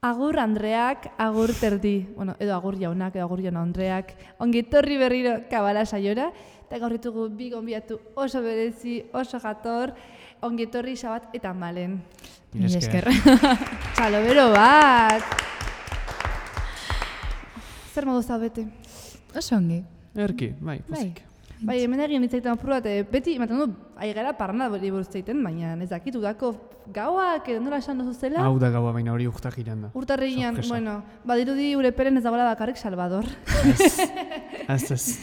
Agur Andreak, agur terdi, bueno, edo agur jaunak, edo agur jauna Andreak, ongi etorri berriro kabala saiora, eta gaur ditugu bi gonbidatu oso berezi, oso jator, ongi etorri Xabat eta Malen. Mila esker. Txalobero bat! Zer modu zaudete? Oso ongi. Erki, bai, pozik. Bai, hemen egin hitzaiten apur bat, beti, ematen du, aigara parranda buruz zaiten, baina ez dakit, udako gauak, edo nola esan duzu zela? Hau da gaua, baina hori urtak iran da. Urtarrian, bueno, badirudi Urepelen ez dagoela bakarrik Salvador. Ez.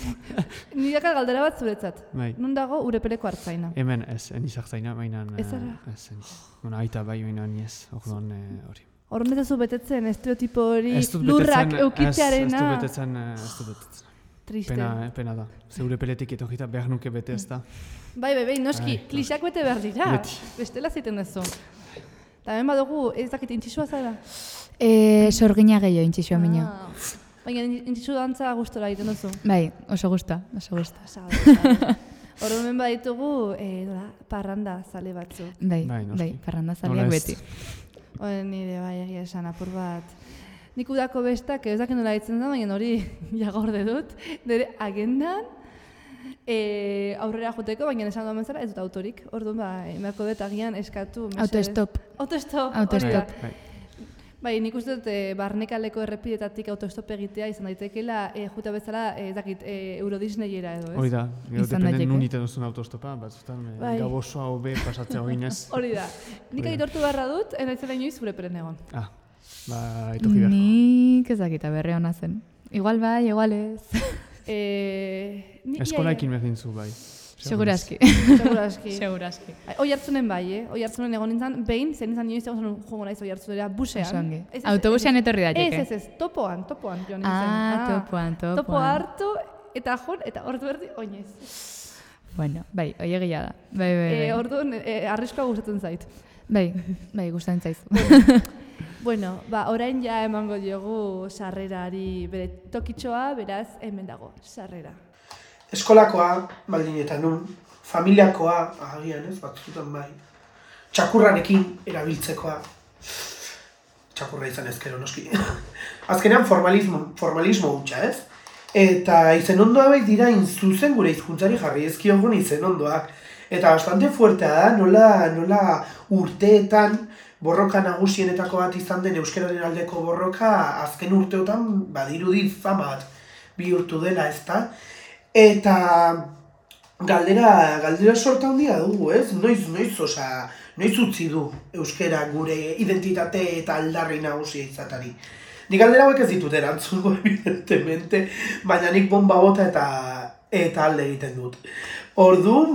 Nirekat galdera bat zuretzat. Bai. Nun dago Urepeleko hartzaina? Hemen ez, enizak zaina, baina... Ez ara? Ez, bueno, aita bai, baina ni ez, orduan hori. Horren ez zu betetzen, estereotipo hori, lurrak eukitzearena. Ez du betetzen. Triste. Pena da. Zeure peletik etorrita behar nuke bete ez da. Bai, noski, klixak bete behar dira. Beti. Bestela ziten dezu. Eta hemen badugu, ez dakit intxisua zara? Sorgina gehiago intxisua minio. Baina intxisu dantza gustora egiten duzu. Bai, oso gusta. Horren hemen baditugu, parranda zale batzu. Bai, parranda zaleak beti. Horren nire bai egia esan apur bat. Nik udako bestak, ez dakit nola ditzen da, baina hori jagorde dut, nire agendan aurrera joteko, baina esan duan zara ez dut autorik. Orduan, emarko dut agian eskatu. Autostop. Bai, nik uste dut barnekaleko errepidetatik autostop egitea izan daitekeela, juta bezala, ez dakit, Euro Disneyera edo, ez? Hori da, gero dependen nun iten duzun autostopa, batzutan gau osoa hobe pasatzea oinez. Hori da. Nik aitortu beharra dut, enaitzela inoiz Urepelen egon. Etorri beharko. Nik ezakita berre hona zen. Igual bai, igual ez. Eskolaekin berdin zu bai. Seguraski. Oi hartzunen bai, Oi hartzunen egon nintzen, behin, zen izan inoiz egon jongo naiz oi hartzunera, busean. Autobusean etorri daiteke. Ez, topoan joan nintzen. Topo hartu, eta ordu berdi, oinez. Bueno, bai, oi egia da. Bai. Orduan, arriskoa gustatzen zait. Bai, gustatzen zaizu. Bueno, orain ja emango diogu sarrerari bere tokitxoa, beraz, hemen dago, sarrera. Eskolakoa, baldin eta nun, familiakoa, agian ez, batzutan bai, txakurrarekin erabiltzekoa, txakurra izan ezkero noski, azkenean formalismo hutsa ez, eta izenondoa bai dira zuzen gure hizkuntzari jarri ezkiogun izenondoak, eta bastante fuertea da, nola urteetan, borroka nagusienetako bat izan den euskararen aldeko borroka azken urteotan badirudi fama bat bihurtu dela, ezta? Eta galdera sorta handia dugu, ez? Noiz utzi du euskara gure identitate eta aldarri nagusia izatari. Nik galdera hauek ez ditut erantzungo, evidentemente, baina nik bomba bota eta alde egiten dut. Orduan,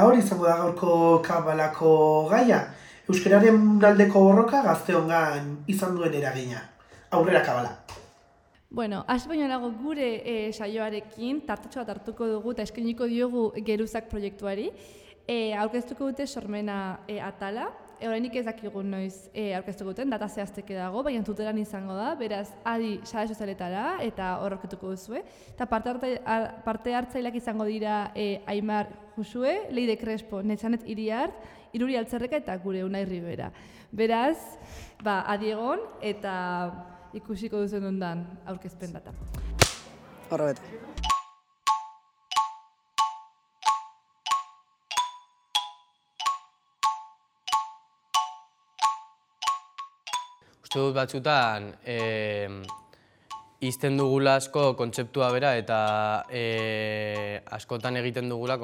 hori izango da gaurko kabalako gaia. Euskararen aldeko borroka gazteongan izan duen eragina. Aurrera kabala. Bueno, hasi baino lago gure saioarekin, tartetxo bat hartuko dugu eta eskainiko diogu Geruzak proiektuari. Aurkeztuko dute sormena atala. Orainik ez dakigu noiz aurkeztuko duten, data zehazteke dago, baina tutelan izango da, beraz, adi sare sozialetara eta hor aurkituko duzue. Eta parte hartzaileak izango dira Aimar Josue, Leide Crespo, Netzanet Iriart, Iruri Altzerreka eta gure Unai Ribera. Beraz, adi egon eta ikusiko duzen ondan aurkezpen data. Horra bete. Uste dut batzutan izten dugula asko kontzeptua bera eta askotan egiten dugula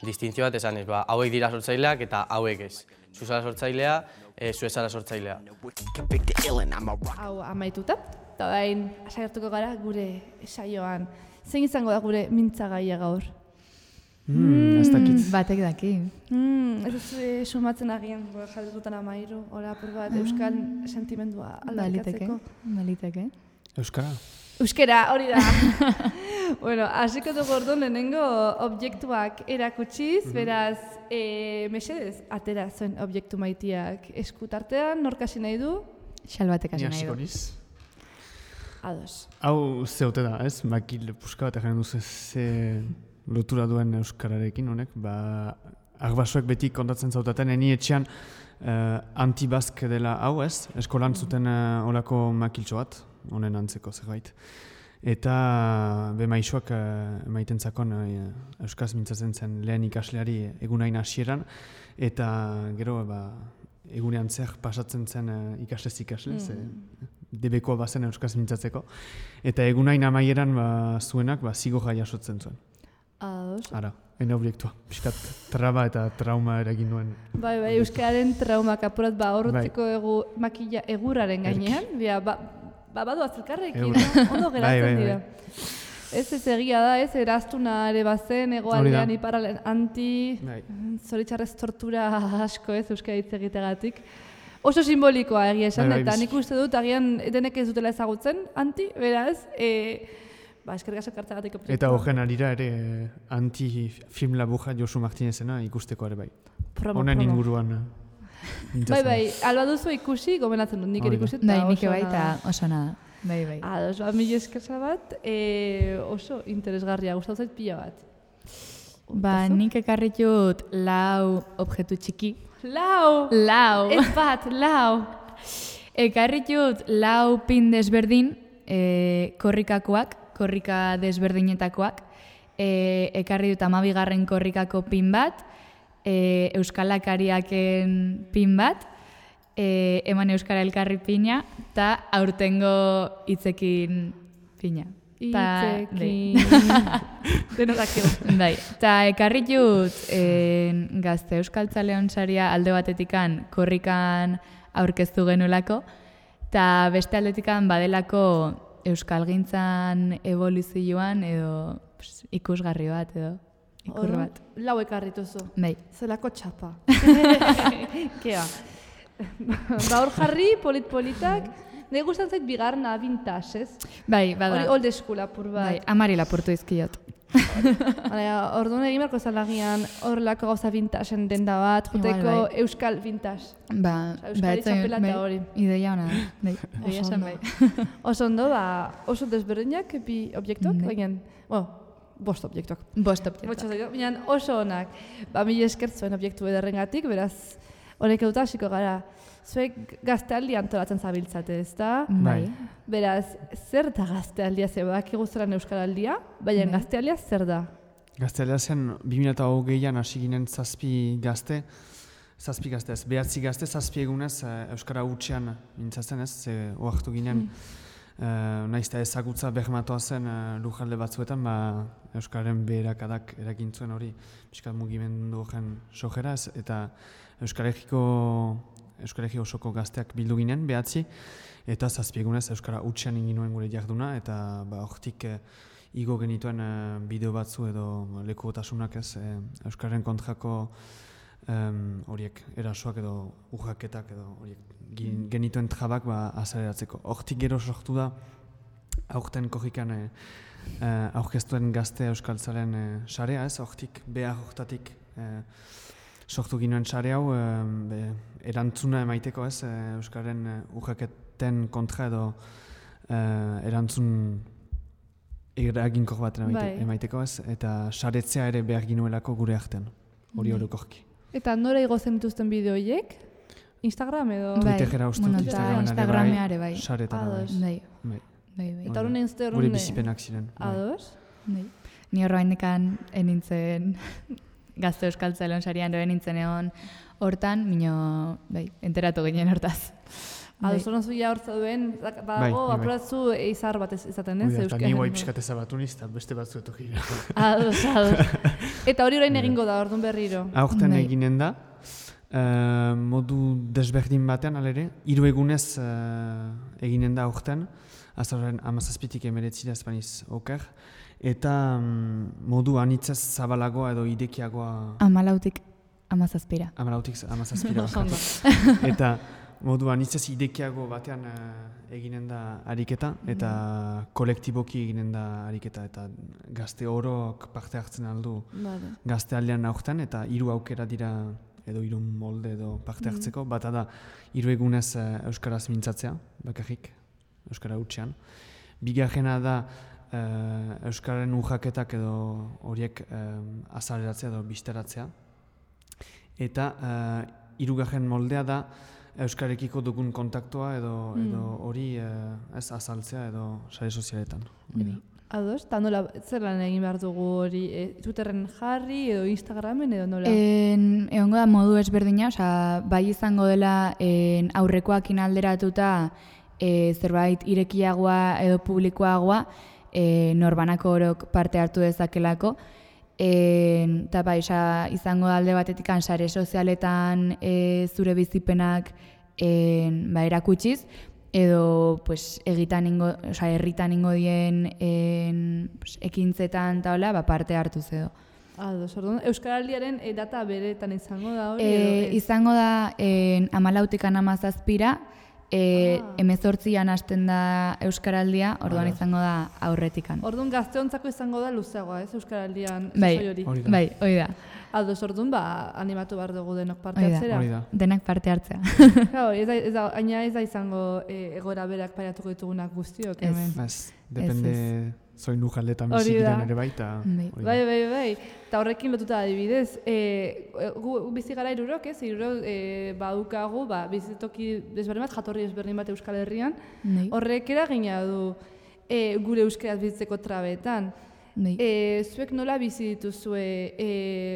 distintzio bat esanez, hauek dira sortzaileak eta hauek ez. Zu zara sortzailea, zu ez zara sortzailea. Hau amaituta, eta orain saiatuko gara gure saioan. Zein izango da gure mintzagaia gaur? Ez dakit. Batek daki. Ez sumatzen agian, jarretutan amairu, hori apur bat, euskal sentimendua aldarikatzeko. Baliteke. Euskara, hori da. Bueno, hasiko dugu orduan lehenengo objektuak erakutsiz, beraz, mesedez, atera zuen objektu maitiak eskutartean, nork hasi nahi du? Xalbatek hasi nahi du. Niaz. Ados. Hau zeote da, ez? Makil puska bat egin duzu ze lotura duen euskararekin honek, arbasoek beti kontatzen zautaten, eni etxean antibazk dela hau ez, eskolan zuten olako makiltxo bat, honen antzeko zerbait. Eta maisuak emaiten zakon euskaz mintzatzen zen lehen ikasleari egunain hasieran, eta gero egunean zer pasatzen zen ikaslez ikasle, debekoa bazen euskaz mintzatzeko. Eta egunain amaieran zuenak zigorra jasotzen zuen. Ara, ena obiektua. Piskat traba eta trauma eragin duen. Bai, euskararen traumak apurat horretzeko makila egurraren gainean. Badu azilkarrekin, ondo geratzen dira. Ez egia da, eraztuna ere bazen, egoaldean iparralen zoritxarrez tortura asko euskara hitz egitegatik. Oso simbolikoa egia esan, eta nik uste dut agian denek ez dutela ezagutzen, beraz, eskerrik asko hartzagatik. Eta horren arira ere anti-film laburra Josu Martinezena ikusteko ere bai. Honen inguruan. Bai, alba duzu ikusi, gomenatzen dut, nik ikusi eta nik bai eta oso nada. Bai. Ados, mila eskerza bat, oso interesgarria, gustatu zait pila bat. Nik ekarritut 4 objektu txiki. 4? Ez bat, 4. Ekarritut 4 pin desberdin, korrika desberdinetakoak. Ekarri dut 12. korrikako pin bat, euskalakariaken pin bat, eman euskara elkarri pina, eta aurtengo hitzekin pina. Hitzekin. Denokakio. Bai, eta ekarri dut Gazte Euskaltzaleon saria alde batetikan korrikan aurkeztu genulako, eta beste aldetikan badelako euskalgintzan evoluzioan edo ikusgarri bat edo. Ikur bat. 4 ekarrituzu. Bai. Zelako txapa. Kea. Hor jarri, polit-politak. Nire gustatzen zait bigarna vintage, ez? Bai, bada. Hori old school apur bat. Bai, amari lapurtu izkiot. Orduan egin barko zalagian horrelako gauza vintagen denda bat, juteko euskal vintage. Euskal txapela eta hori. Ideia hona da. Bai, egia esan bai. Oso ondo, oso desberdinak, bi objektuak, baina, bost objektuak. Baina oso honak. Mila esker zuen objektu ederrengatik, beraz, honek eduta hasiko gara. Zuek gaztealdi antolatzen zabiltzate, ez da? Bai. Beraz, zer da gaztealdia? Ze badakigu zelan euskaraldia, baina gaztealdia zer da? Gaztealdia zen 2020an hasi ginen 7 gazte, 7 gazte ez, 9 gazte, 7 egunez euskara hutsean mintzatzen ez, oartu ginen. Naiz eta ezagutza bermatoa zen lujalde batzuetan, euskararen beherakadak eragintzuen hori pixkat mugimendu horren sojera ez, eta Euskaregi osoko gazteak bildu ginen, 9, eta 7 egunez euskara hutsean inginuen gure jarduna, eta hortik igo genituen bideo batzu edo lekukotasunak ez, euskararen kontrako horiek erasoak edo urraketak edo horiek genituen trabak azaleratzeko. Hortik gero sortu da, aurten korrikan aurkeztuen gazte euskaltzaren sarea ez, hortik behar hortatik sortu ginoen sare hau erantzuna emaiteko ez, euskaren urraketen kontra edo erantzun eraginkor bat emaiteko ez, eta saretzea ere behar ginuelako gure artean, hori orokorki. Eta nora igozen dituzten bideoiek? Instagram edo? Twitterera ustut, Instagramera ere bai. Saretara bai. Eta horren egin zute gure bizipenak ziren. Ados? Ni horroaindekan enintzen Gazte Euskaltzaleon sarian doen nintzen egon hortan, mino, enteratu ginen hortaz. Ados, horren zuia hortza duen, badago, apuratzu izar bat izaten ez? Eta ni guai pixkat ezabatu niz, eta beste batzu eto gira. Ados. Eta hori orain egingo da, orduan berriro? Aurten eginen da, modu desberdin batean, alere, 3 egunez eginen da aurten, azaren 17tik 19 espaniz oker, eta modu anitzez zabalagoa edo idekiagoa... 14tik 17. 14tik 17. Eta modu anitzez idekiago batean eginen da ariketa, eta kolektiboki eginen da ariketa, eta gazte orok parte hartzen aldu gazte aldean aurten, eta 3 aukera dira edo 3 molde edo parte hartzeko, bata da 3 egunez euskaraz mintzatzea, bakarrik, euskara hutsean. Bigarrena da euskararen urraketak edo horiek azaleratzea edo bisteratzea. eta hirugarren moldea da euskarekiko dugun kontaktua edo hori ez azaltzea edo sare sozialetan. Ados, eta nola, zer lan egin behar dugu hori, Twitterren jarri edo Instagramen edo nola? Egongo da modu ezberdina, bai izango dela aurrekoakin alderatuta zerbait irekiagoa edo publikoagoa norbanako orok parte hartu dezakelako. Eta bai, izango da alde batetik sare sozialetan zure bizipenak erakutsiz, edo herritan ingo dien ekintzetan eta hola, parte hartuz edo. Ados, orduan, Euskaraldiaren data beretan izango da hori? Izango da 14-tik 17-ra, 18an hasten da Euskaraldia, orduan izango da aurretikan. Orduan gazteontzako izango da luzeagoa, ez Euskaraldian sasoi hori? Bai, hori da. Ados, orduan, animatu behar dugu denok parte hartzera? Hori da. Denak parte hartzea. Aina ez da izango egoera berak paiatuko ditugunak guztiok, hemen? Ez, depende zoinu jaletan bizikiren ere baita. Bai. Eta horrekin lotuta adibidez, gu bizi gara hirurok, ez? Hirurok badukagu, bizitoki desberdin bat, jatorri desberdin bat Euskal Herrian. Horrek eragina du gure euskeraz bizitzeko trabetan. Zuek nola bizi dituzue,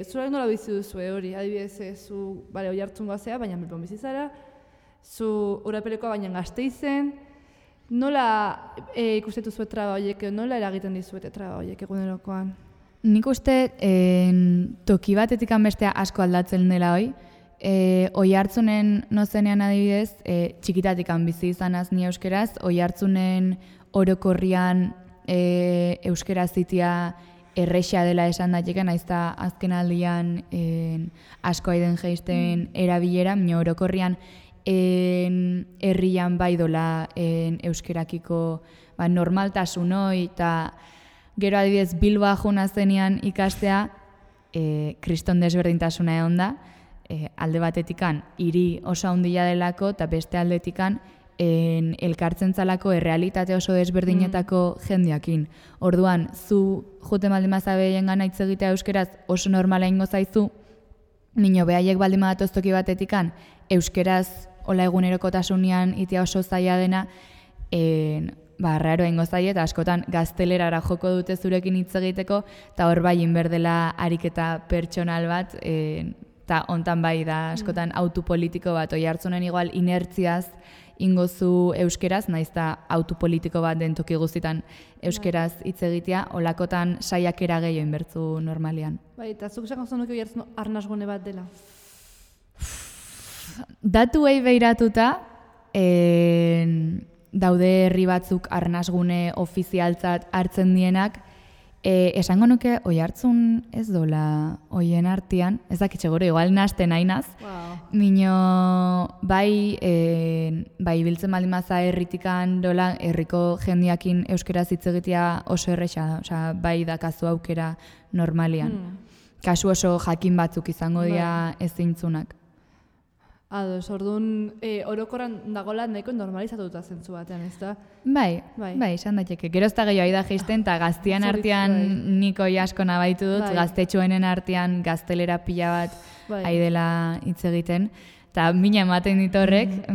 zuek nola bizi duzue hori, adibidez, zu Oiartzungoa zea, baina Bilbon bizi zara, zu Urapelekoa baina Gasteizen, nola ikusten duzue traba horiek, nola eragiten dizuete traba horiek egunerokoan? Nik uste toki batetik bestea asko aldatzen dela hoi. Oiartzunen nozenean adibidez, txikitatik bizi izanaz ni euskeraz, Oiartzunen orokorrian euskera zitia erresa dela esan daiteke, naiz eta azken aldian asko aiden jeisten erabilera, baina orokorrian herrian bai dola euskerakiko normaltasun hori, eta gero adibidez Bilboa juna zenean ikastea kriston desberdintasuna egon da, alde batetikan hiri oso handia delako eta beste aldetikan elkartzen zalako errealitate oso desberdinetako jendeakin. Orduan, zu jote baldin bazabeien gana hitz egitea euskeraz oso normala ingo zaizu, mino behaiek baldin badatoz toki batetikan euskeraz hola egunerokotasunean itea oso zaila dena, raro ingo zaie eta askotan gaztelerara joko dute zurekin hitz egiteko, eta hor bai inberdela ariketa pertsonal bat, eta hontan bai da askotan autopolitiko bat, Oiartzunen igual inertziaz ingozu euskeraz, naiz eta autopolitiko bat den toki guztitan euskeraz hitz egitea, olakotan saiakera gehiago inbertzu normalean. Bai, eta zuk esango zenuke Oiartzun arnasgune bat dela? Datuei behiratuta, daude herri batzuk arnasgune ofizialtzat hartzen dienak, esango nuke Oiartzun ez dola hoien artean, ez dakitxe gure, igual nahasten hainaz, mino bai biltzen baldin maza herritikan dola herriko jendiakin euskeraz hitz egitea oso erresa da, bai dakazu aukera normalian. Kasu oso jakin batzuk izango dira ezintzunak. Ados, orduan orokorran dagoela nahiko normalizatuta zentzu batean, ez da? Bai, izan daiteke. Gero ez da gehiago da jeisten, eta gaztian artean niko asko nabaitu dut, gaztetxoenen artean gaztelera pila bat aidela hitz egiten. Eta mina ematen dit horrek,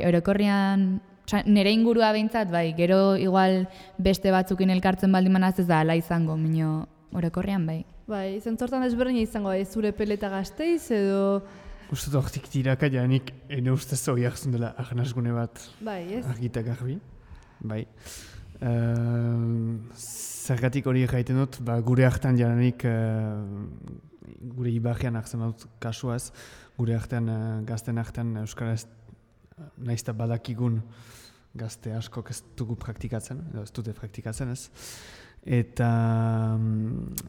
orokorrian, nire ingurua behintzat, gero igual beste batzukin elkartzen baldin manaz ez da ala izango, mino orokorrian bai. Bai, zentzortan ezberdina izango, zure peleta Gasteiz edo... Uste hortik tiraka janik, ene ustez Oiartzun dela arnasgune bat argitak garbi. Bai. Zergatik hori egiten dut, gure hartan jaranik, gure ibarrian hartzen dut kasuaz, gure hartan, gazten hartan euskaraz nahiz eta badakigun gazte askok ez dugu praktikatzen, edo ez dute praktikatzen ez. Eta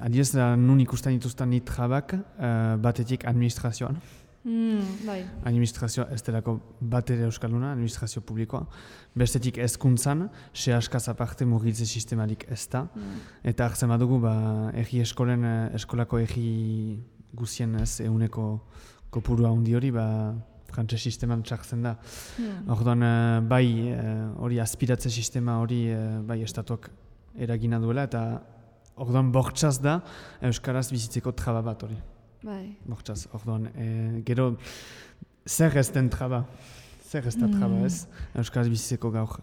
adiez nun ikusten dituzten nit jabak, batetik administrazioan. Administrazioa ez delako bat ere euskalduna, administrazio publikoa. Bestetik hezkuntzan, sehaskaz aparte mugitze sistemalik ez da. Eta hartzen badugu, erri eskolako erri guzien ez eguneko kopurua handi hori, frantses sisteman txartzen da. Orduan, hori aspiratze sistema hori estatuak eragina duela, eta orduan bortxaz da euskaraz bizitzeko traba bat hori. Bai. Bortxaz, orduan, gero, zer ez den traba? Zer ez da traba, ez? Euskaraz bizitzeko gaur.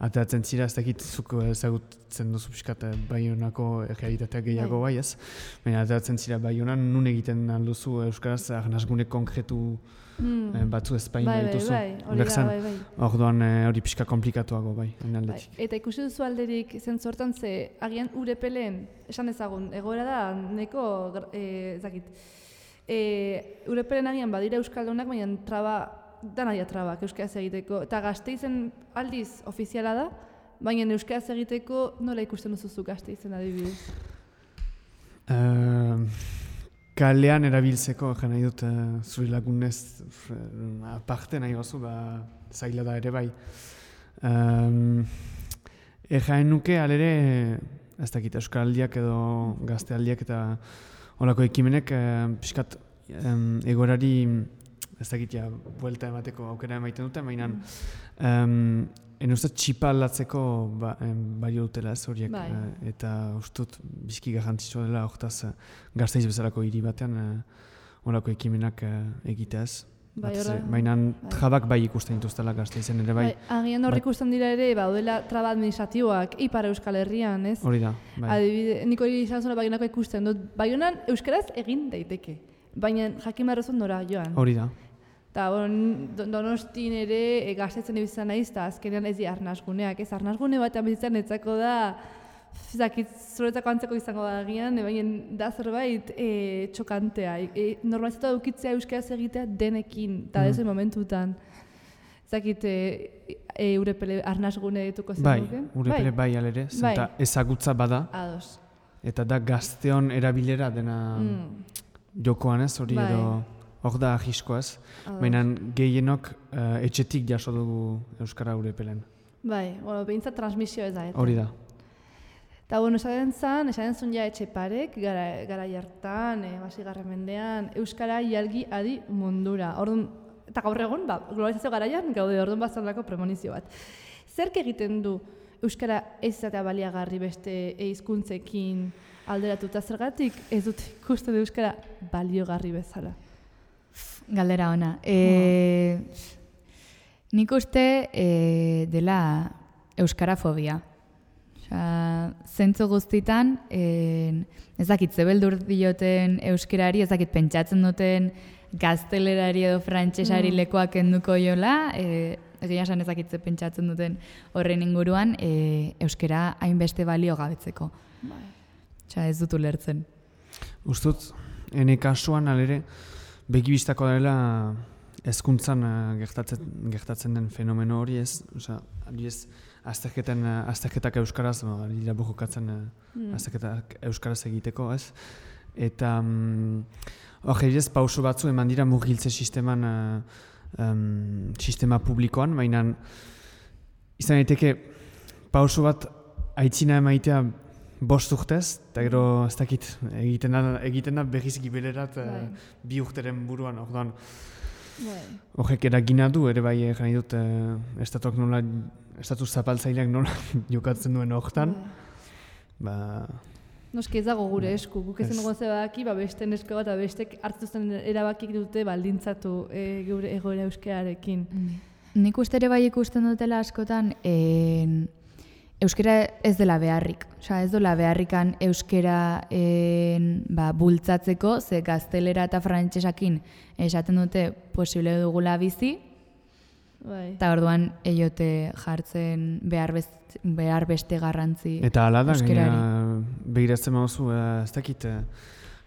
Ateratzen zira, ez dakit zuk ezagutzen duzu pixkat Baionako realitatea gehiago bai, ez? Baina ateratzen zira Baionan, nun egiten alduzu Euskaraz arnasgune konkretu batzu ez baina dituzu. Hori da, bai. Orduan hori pixka komplikatuago bai, aldetik. Eta ikusi duzu alderik zentzu hortan ze, agian Urepelen, esan ezagun, egoera da, neko, ezakit, Urepelen agian badira Euskaldunak, baina traba, danaia trabak euskaraz egiteko. Eta Gasteizen aldiz ofiziala da, baina euskaraz egiteko nola ikusten duzuzu Gasteizen adibidez? Kalean erabiltzeko, nahi dut zuri lagunez aparte nahi bazu, zaila da ere bai. Jaen nuke alere, ez dakit, euskaraldiak edo gaztealdiak eta holako ekimenek pixkat egorari ez dakit buelta emateko aukera emaiten dute, baina uste txipa aldatzeko balio dutela ez horiek. Eta ustut bizki garrantzitsua dela hortaz Gasteiz bezalako hiri batean horako ekimenak egitea ez. Baina trabak bai ikusten dituztela Gasteizen ere bai. Agian hor ikusten dira ere, daudela traba administratiboak Ipar Euskal Herrian, ez? Hori da, bai. Adibide, nik hori izan zuen Baionako ikusten dut. Baionan euskaraz egin daiteke, baina jakin barrezun nora joan. Hori da. Eta Donostin ere Gasteizen ibizitzen naiz, eta azkenean ez di arnasguneak, ez arnasgune batean bizitzen etzako da, zuretzako antzeko izango da agian, baina da zerbait txokantea. Normalizatu edukitzea euskaraz egitea denekin, eta dezen momentutan. Ezakit Urepele arnasgune dituko zen duken? Bai, Urepele bai alere, zenta ezagutza bada. Ados. Eta da gazteon erabilera dena jokoan ez, hori edo hor da ahisko ez. Baina gehienok etxetik jaso dugu Euskara Urepelen. Bai, behintzat transmisio ez da. Hori da. Eta esaten zuen ja Etxeparek, gara jartan, basigarren mendean, Euskara jalgi adi mundura. Eta gaur egun, globalizazio garaian, gaude orduan bazalako premonizio bat. Zerk egiten du Euskara ez izatea baliagarri beste hizkuntzekin alderatuta zergatik ez dut ikusten Euskara baliogarri bezala? Galdera ona. Nik uste dela euskarafobia. Zentzu guztitan, ez dakit zebeldur dioten euskarari, ez dakit pentsatzen duten gaztelerari edo frantsesari lekoak enduko jola, egia esan ez dakit ze pentsatzen duten horren inguruan, euskara hainbeste balio gabetzeko. Ez dut ulertzen. Ustut, ene kasuan alere, begibistako dela hezkuntzan gertatzen den fenomeno hori ez, adibidez, azterketak euskaraz, dira bojokatzen azterketak euskaraz egiteko ez, eta hori ez pauso batzu eman dira murgiltze sisteman, sistema publikoan, baina izan daiteke pauso bat aitzina emaitea 5 urtez, eta gero ez dakit egiten da berriz gibelerat 2 urteren buruan, orduan horrek eragina du, ere bai jani dut estatuak nola, estatu zapaltzaileak nola jokatzen duen horretan. Noski ez dago gure esku, guk ezen dugu zebaki, beste nesko bat, bestek hartzuzten erabakik dute baldintzatu gure egoera euskararekin. Nik uste ere bai ikusten dutela askotan, euskara ez dela beharrik. Ez dela beharrikan euskara bultzatzeko, ze gaztelera eta frantsesakin esaten dute posible dugula bizi, eta orduan eiote jartzen behar beste garrantzi euskarari. Eta hala da, behiratzen mauzu, ez dakit,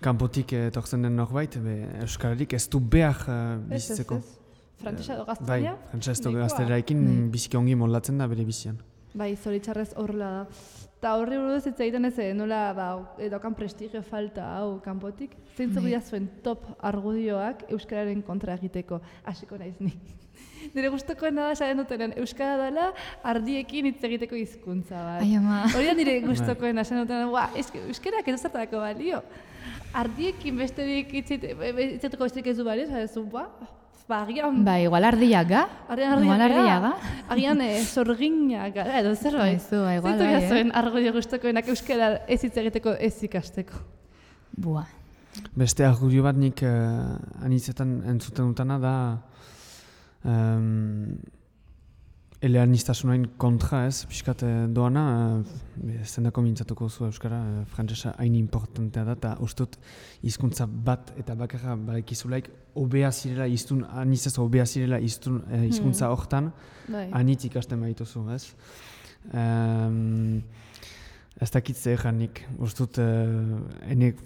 kanpotik etortzen den norbait, euskararik ez du behar bizitzeko. Frantsesa edo gaztelera? Bai, frantsesa edo gaztelerarekin biziki ongi moldatzen da bere bizian. Bai, zoritxarrez horrela da. Eta horri buruz hitz egiten ez, nola daukan prestigio falta hau kanpotik. Zeintzuk dira zuen top argudioak euskararen kontra egiteko, hasiko naiz ni. Nire gustukoena da esaten dutenen, euskara dela ardiekin hitz egiteko hizkuntza bat. Ai ama. Hori da nire gustukoena esaten dutenen, euskarak ez zertarako balio. Ardiekin besterik hitzeteko besterik ez du balio, zarezu, agian... igual ardiaga. Agian zorginak, edo zerbait. Igual bai, zuen argudio gustukoenak euskara ez hitz egiteko ez ikasteko. Beste argudio bat nik anitzetan entzuten dutana da eleaniztasunain kontra ez, pixkat doana, zendako mintzatuko zu euskara, frantsesa hain importantea da, eta ustut hizkuntza bat eta bakarra badakizulaik hobea zirela iztun, anitzez hobea zirela iztun hizkuntza hortan, anitz ikasten baituzu, ez? Ez dakit zer nik, ustut enek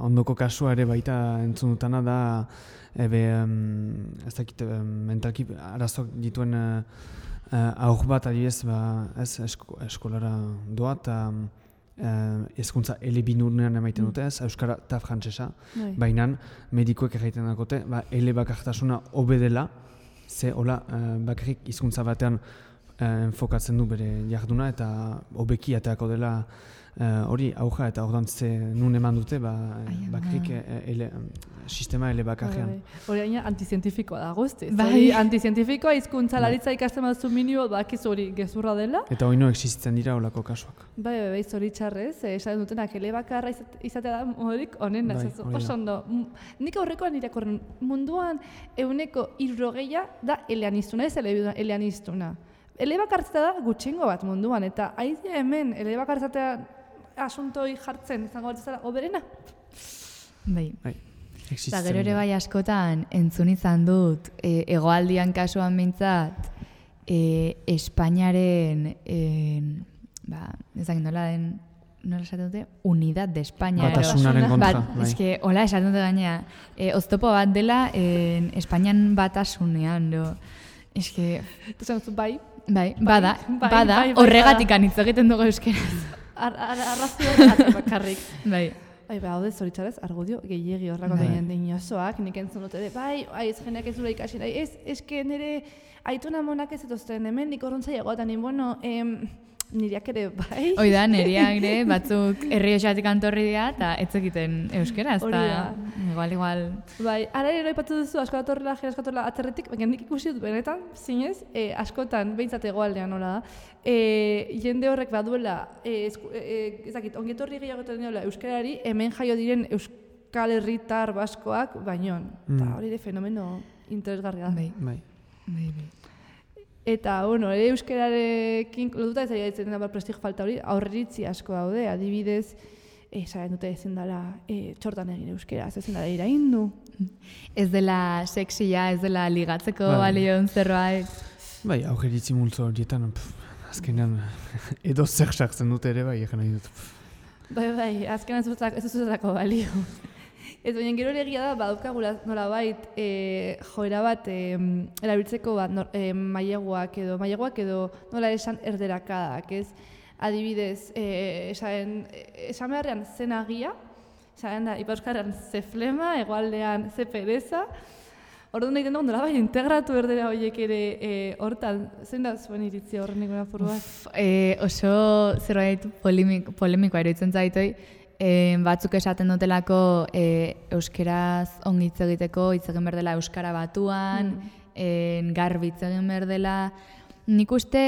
ondoko kasua ere baita entzun dutana da, ez dakit mentalki arazok dituen aur bat adibidez, eskolara doa eta hezkuntza elebinurnean emaiten dute ez, euskara eta frantsesa, baina medikoek egiten dakote, ele bakartasuna hobe dela, ze hola bakarrik hizkuntza batean enfokatzen du bere jarduna eta hobeki ateako dela hori auja eta ordan ze nun eman dute bakarrik sistema ele bakarrean. Hori aina antizientifikoa da guzti. Antizientifikoa hizkuntza laritza ikasten baduzu minimo bakizu hori gezurra dela. Eta hori no existitzen dira holako kasuak. Bai, zoritxarrez, esaten dutenak ele bakarra izatea da horik honen oso ondo. Nik aurrekoan irakorren munduan 60% da eleaniztuna, ez eleaniztuna. Elebakartzea da gutxingo bat munduan, eta haizia hemen elebakartzatea asuntoi jartzen izango bat zara oberena. Bai. Eta gero ere bai askotan entzun izan dut, hegoaldian kasuan behintzat, Espainiaren, ezagin nola den, nola esaten dute? Unidad de España. Batasunaren kontra. Eske, hola esaten dute gaina, oztopo bat dela Espainian batasunean, eske... Bai, bada, horregatik anitz egiten dugu euskeraz. Arrazio horregatik bakarrik. Bai. Haude zoritxarez, argudio gehiegi horrako deinen dinosoak, nik entzun dute, ez jeneak ez dura ikasi nahi, eske nire aituna monak ez etozten, hemen nik horrontzai egotan, niriak ere, bai? Oida, niriak ere, batzuk Errioxatik antorri dira, eta ez egiten euskera, ez da, igual. Bai, ara ere aipatu duzu, askodatorrela, jeraskodatorrela atzerretik, baina nik ikusi dut benetan, zinez, askotan, behintzat egoaldean nola da, jende horrek baduela, ezakit, ongetorri gehiagoetan diola euskarari, hemen jaio diren euskal herritar baskoak, bainoan. Eta hori de fenomeno interesgarria da. Bai. Eta, euskararekin lotuta ez ari ditzen da prestigio falta hori, aurreritzi asko daude, adibidez, esaten dute ezin dela txortan egin euskaraz, ezin dela iraindu. Ez dela sexia, ez dela ligatzeko balion zerbait. Bai, aurreritzi multzo horietan, azkenean edo zer sartzen dute ere bai, egin nahi dut. Bai, azkenean ez duzutako balio. Ez baina gero egia da, badukagula nolabait joera bat erabiltzeko maileguak edo nola esan erderakadak, ez? Adibidez, esan beharrean zen agia, esan da, Ipauskarrean ze flema, hegoaldean ze pereza, orduan nahi den dugu nolabait integratu erdera horiek ere hortan, zein da zuen iritzi horren nikon apur bat? Oso zerbait polemikoa iruditzen zaitoi, batzuk esaten dutelako euskeraz ongi hitz egiteko, hitz egin behar dela euskara batuan, garbi hitz egin behar dela. Nik uste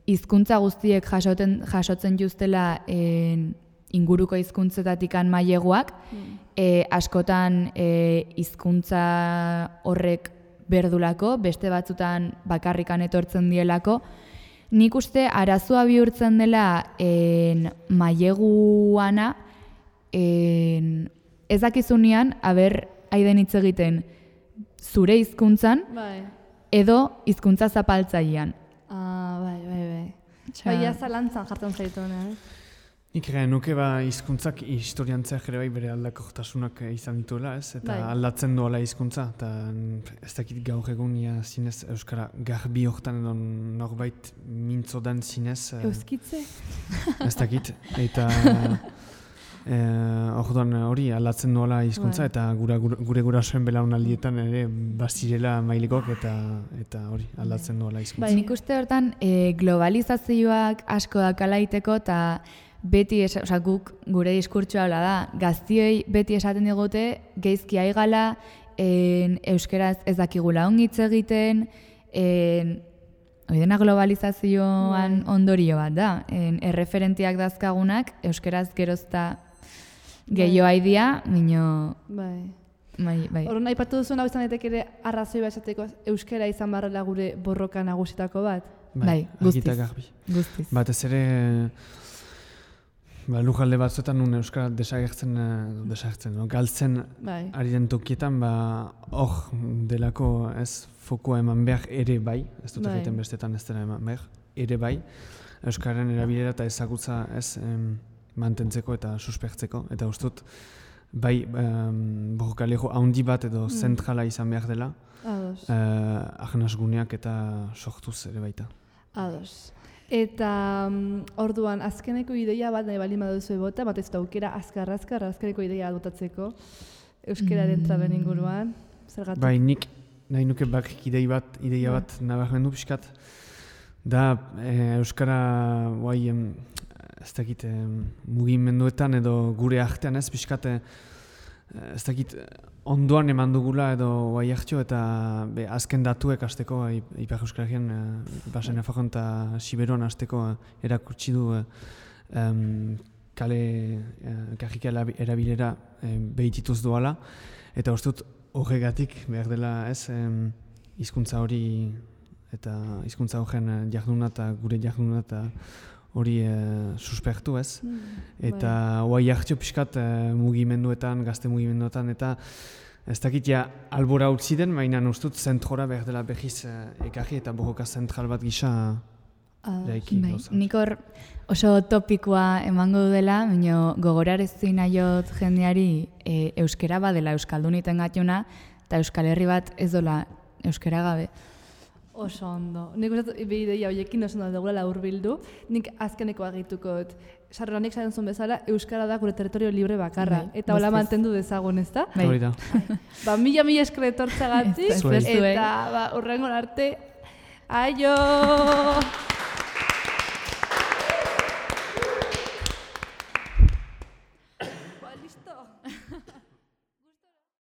hizkuntza guztiek jasotzen justela inguruko hizkuntzetatik maileguak, askotan hizkuntza horrek berdulako, beste batzutan bakarrikan etortzen dielako. Nik uste arazoa bihurtzen dela maileguana ez dakizunean haiden hitz egiten zure hizkuntzan edo hizkuntza zapaltzailean. Bai. Baina zalantzan jartzen zaitu hona, Nik nuke hizkuntzak historiantzeak ere bai bere aldakortasunak izan dituela, ez? Eta aldatzen duela hizkuntza, eta ez dakit gaur egun zinez euskara garbi hortan edo norbait mintzo den zinez. Euskitze? Ez dakit, eta orduan hori aldatzen duela hizkuntza, eta gure gurasoen belaunaldietan ere bazirela mailikok eta hori aldatzen duela hizkuntza. Nik uste hortan globalizazioak asko dakalaiteko eta beti, guk gure diskurtsoa habla da, gaztioi beti esaten digute, geizki aigala, euskeraz ez dakigula ongitz egiten, hori dena globalizazioan ondorio bat da, erreferentiak dazkagunak, euskeraz gerozta Gehiago haidia, minio... Bai. Bai. Horren aipatu duzuen hau izan daiteke ere arrazoi bat esateko euskara izan barrela gure borroka nagusitako bat. Bai, guztiz. argita garbi. Guztiz. Batez ere, lujalde batzuetan nun euskara desagertzen, galtzen Bai. ari den tokietan, hor delako ez fokua eman behar ere bai, ez dut Bai. egiten bestetan ez dela eman behar, ere bai, euskararen erabilera eta ezagutza ez mantentzeko eta suspertzeko, eta ustut bai borrokalego handi bat edo zentrala izan behar dela, Ados. ahnasguneak eta sortuz ere baita. Ados. Eta orduan, azkeneko ideia bat nahi baldin baduzu bota, bat ez da aukera azkeneko ideia botatzeko euskararen traben inguruan. Zergatik? Bai, nik nahi nuke bakik ideia bat nabarmendu pixkat, da euskara guai ez dakit mugimenduetan edo gure artean ez pixkat ez dakit ondoan eman dugula edo guai hartio eta azken datuek azteko Ipar Euskaragien Basen Nafarroan eta Siberuan azteko erakutsi du kajika erabilera behitituz doala eta uste dut horregatik behar dela ez hizkuntza hori eta hizkuntza horren jarduna eta gure jarduna eta hori suspertu ez. Eta guai hartio pixkat mugimenduetan, gazte mugimenduetan eta ez dakit albora utzi den, baina ustut zentrora behar dela behiz ekarri eta borroka zentral bat gisa eraiki. Nik hor oso topikoa emango dela, baina gogorarezi nahiot jendeari euskera badela euskalduniten gatuna eta Euskal Herri bat ez dola euskera gabe. Oso ondo. Nik uste ideia horiekin oso ondo dugula hurbildu. Nik azkeneko agituko dut. Sarronik zaren zuen bezala, euskara da gure territorio libre bakarra. Eta hola mantendu dezagun, ez da? Hori da. Mila esker etortzagatik. Eta hurrengo arte. Aio! Listo!